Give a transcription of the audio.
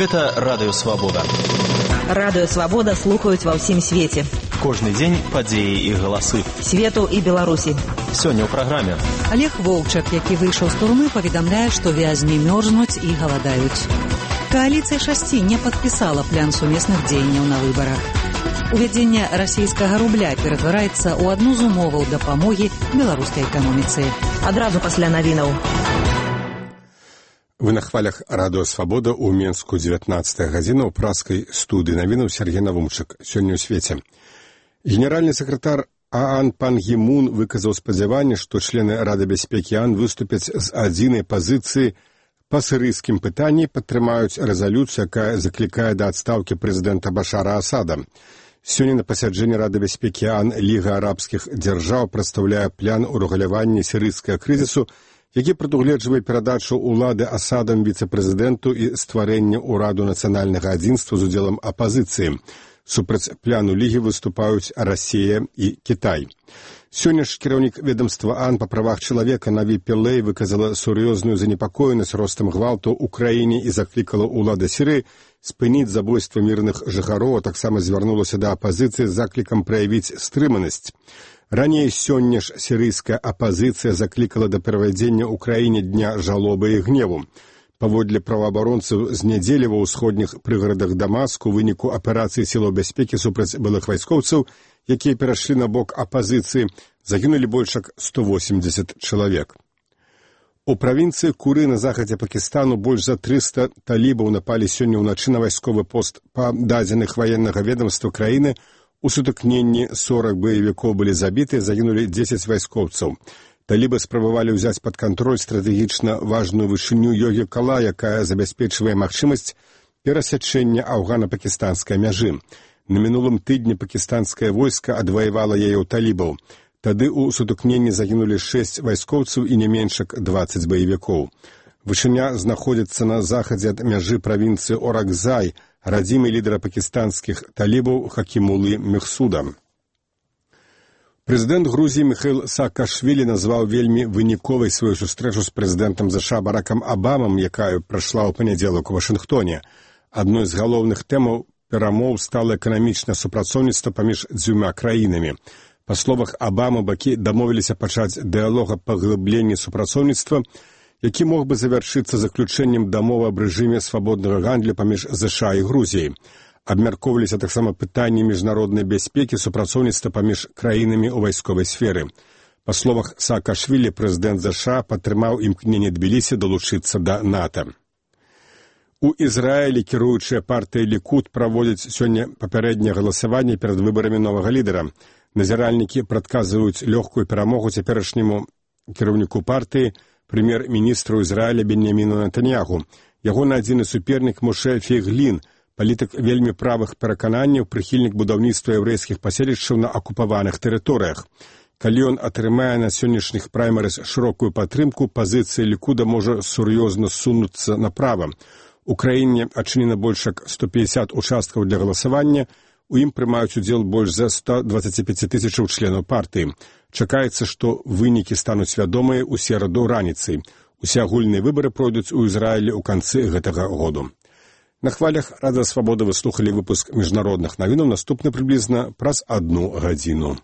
Гэта Радыё Свабода. Радыё Свабода слухаюць ва ўсім свеце. Кожны дзень падзеі і галасы. Свету і Беларусі. Сёння ў праграме. Олег Волчак, які выйшаў з турмы, паведамляе, што вязні мёрзнуць і галадаюць. Коаліцыя шасці не падпісала план сумесных дзеянняў на выбарах. Увядзенне расійскага рубля ператвараецца ў адну з умоваў дапамогі беларускай эканоміцы. Адразу пасля навінаў. Вы на хвалях Радыё Свабода ў Менску 19 гадзіна ў праскай студыі навінаў Сергей Навумчык. Сёння ў свеце. Генеральны сакратар ААН Пан Гі Мун выказаў спадзяванне, што члены Рады бяспекі ААН выступяць з адзінай пазіцыі па сірыйскім пытанні, падтрымаюць рэзалюцыю, якая заклікае да адстаўкі прэзідэнта Башара Асада. Сёння на пасяджэнні Рады бяспекі ААН Ліга арабскіх дзяржаў прадстаўляе план урэгулявання сірыйскага крызісу, які прадугледжвае перадачу ўлады Асадам віцэ-прэзідэнту і стварэнне ўраду нацыянальнага адзінства з удзелам апазіцыі. Супраць пляну Лігі выступаюць Расія і Кітай. Сёння ж кіраўнік ведомства ААН па правах чалавека Наві Пілэй выказала сур'ёзную занепакоенасць ростам гвалту ў краіне і заклікала ўлады Сірыі спыніць забойства мірных жыхароў, а таксама звярнулася да апазіцыі з заклікам праявіць стрыманасць. Раней сёння ж сірыйская апазіцыя заклікала да правядзення ў краіне дня жалобы і гневу. Паводле праваабаронцаў, з нядзелі ва ўсходніх прыгарадах Дамаску у выніку аперацыі сілаў бяспекі супраць былых вайскоўцаў, якія перайшлі на бок апазіцыі, загінулі больш як 180 чалавек. У правінцыі Куры на захадзе Пакістану больш за 300 талібаў напалі сёння ўначы на вайсковы пост. Па дадзеных ваеннага ведамства краіны, у сутыкненні 40 баевікоў былі забіты, загінулі 10 вайскоўцаў. Талібы спрабавалі ўзяць пад кантроль стратэгічна важную вышыню Йогі-Кала, якая забяспечвае магчымасць перасячэння афгана-пакістанскай мяжы. На мінулым тыдні пакістанскае войска адваявала яе ў талібаў. Тады ў сутыкненні загінулі 6 вайскоўцаў і не менш як 20 баевікоў. Вышыня знаходзіцца на захадзе ад мяжы правінцыі Оракзай, радзімы лідара пакістанскіх талібаў Хакімулы Мехсуда. Прэзідэнт Грузіі Міхаіл Саакашвілі назваў вельмі выніковай сваю сустрэчу з прэзідэнтам ЗША Баракам Абамам, якая прайшла ў панядзелак у Вашынгтоне. Адной з галоўных тэмаў перамоў стала эканамічнае супрацоўніцтва паміж дзвюма краінамі. Па словах Абамы, бакі дамовіліся пачаць дыялог аб паглыбленні супрацоўніцтва, які мог бы завяршыцца заключэннем дамовы аб рэжыме свабоднага гандлю паміж ЗША і Грузіяй. Абмяркоўваліся таксама пытанні міжнароднай бяспекі, супрацоўніцтва паміж краінамі ў вайсковай сферы. Па словах Саакашвілі, прэзідэнт ЗША падтрымаў імкненне Тбілісі далучыцца да НАТО. У Ізраілі кіруючая партыя Лікуд праводзіць сёння папярэдняе галасаванне перад выбарамі новага лідара. Назіральнікі прадказваюць лёгкую перамогу цяперашняму кіраўніку партыі, прэм'ер-міністру Ізраіля Беньяміну Нетаньяху. Ягоны адзіны супернік Моше Фейглін, палітык вельмі правых перакананняў, прыхільнік будаўніцтва яўрэйскіх паселішчаў на акупаваных тэрыторыях. Калі ён атрымае на сённяшніх праймерыз шырокую падтрымку, пазіцыя Лікуда можа сур'ёзна сунуцца направа. У краіне адчынена больш як 150 участкаў для галасавання, у ім прымаюць удзел больш за 125 тысячаў членаў партыі. Чакаецца, што вынікі стануць вядомыя ў сераду раніцай. Усе агульныя выбары пройдуць у Ізраілі ў канцы гэтага году. На хвалях Радыё Свабода вы слухалі выпуск міжнародных навінаў, наступны прыблізна праз 1 гадзіну.